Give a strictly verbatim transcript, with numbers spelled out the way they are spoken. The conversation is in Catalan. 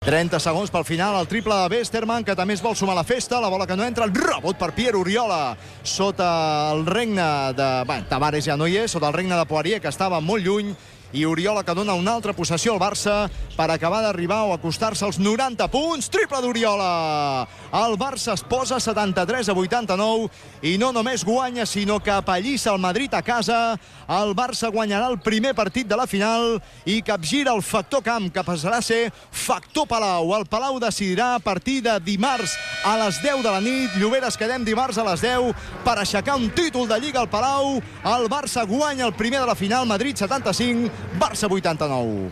trenta segons pel final, el triple de Westerman, que també es vol sumar a la festa, la bola que no entra, el rebot per Pierre Oriola, sota el regne de... Bé, Tavares ja no hi és, sota el regne de Poirier, que estava molt lluny, i Oriola que dona una altra possessió al Barça per acabar d'arribar o acostar-se als noranta punts. Triple d'Oriola! El Barça es posa setanta-tres a vuitanta-nou i no només guanya, sinó que apallissa el Madrid a casa. El Barça guanyarà el primer partit de la final i capgira el factor camp, que passarà a ser factor Palau. El Palau decidirà a partir de dimarts a les deu de la nit. Lloberes, quedem dimarts a les deu per aixecar un títol de Lliga al Palau. El Barça guanya el primer de la final, Madrid setanta-cinc, Barça vuitanta-nou.